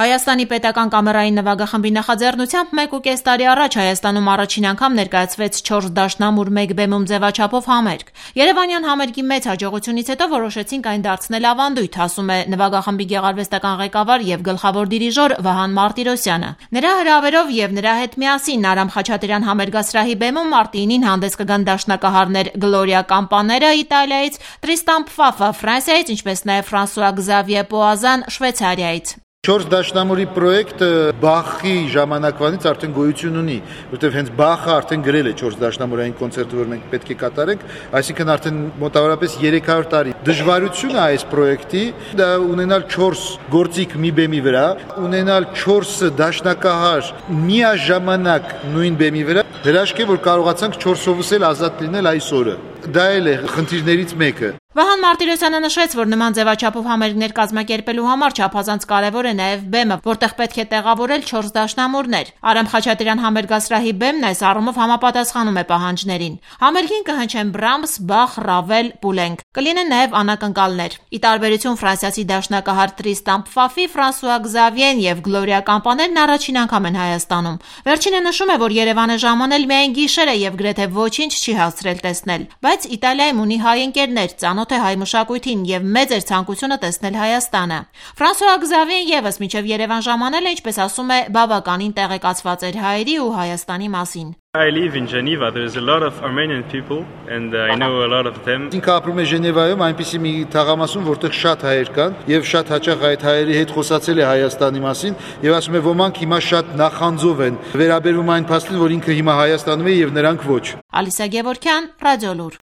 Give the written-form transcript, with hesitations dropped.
Հայաստանի պետական կամերային նվագախմբի նախաձեռնությամբ 1.5 տարի առաջ Հայաստանում առաջին անգամ ներկայացվեց 4 դաշնամուր 1 բեմում ձևաչափով համերգ։ Երևանյան համերգի մեծ հաջողությունից հետո որոշեցինք այն դարձնել ավանդույթ, ասում է նվագախմբի գեղարվեստական ղեկավար եւ գլխավոր դիրիժոր Վահան Մարտիրոսյանը։ Նրա հրավերով եւ նրա հետ միասին Արամ Խաչատրյան համերգասրահի բեմում Մարտինին հանդես կգան դաշնակահարներ Գլորիա Կամպաները Իտալիայից, Տրիստան Փֆաֆը Ֆրանսիայից, ինչպես նաեւ Ֆրանսուଆ Գզավիե Պոազան Շվեյցարիայից։ 4 դաշնամուրի պրոյեկտը Բախի ժամանակվանից արդեն գոյություն ունի, որտեղ հենց Բախը արդեն գրել է 4 դաշնամուրային կոնցերտը, որ մենք պետք է կատարենք, այսինքն արդեն մոտավորապես 300 տարի։ Դժվարությունը այս պրոյեկտի դա ունենալ 4 գործիք մի բեմի վրա, ունենալ 4 դաշնակահար միաժամանակ նույն բեմի վրա, հրաշք է, որ կարողացանք 4-ովս էլ ազատ լինել այս օրը։ Դա էլ է խնդիրներից մեկը։ Վահան Մարտիրոսյանը նշեց, որ նման ձևաչափով համերգներ կազմակերպելու համար չափազանց կարևոր է նաև բեմը, որտեղ պետք է տեղավորել 4 դաշնամուրներ։ Արամ Խաչատրյան համերգասրահի բեմն այս առումով համապատասխանում է պահանջներին։ Համերգին կհնչեն Բրամս, Բախ, Ռավել, Պուլենք։ Կլինեն նաև անակնկալներ։ Ի տարբերություն ֆրանսիացի դաշնակահար Տրիստան Փֆաֆի, Ֆրանսուଆ Գզավիեն եւ Գլորիա Կամպաներն առաջին անգամ են Հայաստանում։ Վերջինը նշում է, որ Երևանը ժամանել միայն գիշեր է եւ գրեթե ոչինչ չի հասցրել տեսնել, բայց Իտալիայում ունի հայ ընկերներ, ծանոթ է հայ մշակույթին եւ մեծ էր ցանկությունը տեսնել Հայաստանը։ Ֆրանսուଆ Գզավիեն եւս մինչեւ Երևան ժամանել է, ինչպես ասում է, բավականին տեղեկացված էր հայերի ու Հայաստանի մասին։ I live in Geneva. There's a lot of Armenian people and I know a lot of them. Ինքը ապրում է Ժենևայում, այնպիսի մի թաղամասում, որտեղ շատ հայեր կան, եւ շատ հաճախ այդ հայերի հետ խոսացել է Հայաստանի մասին, եւ ասում է ոմանք հիմա շատ նախանձով են վերաբերվում այն փաստին, որ ինքը հիմա Հայաստանում է եւ նրանք ոչ։ Ալիսա Գևորգյան, Ռադիոլուր։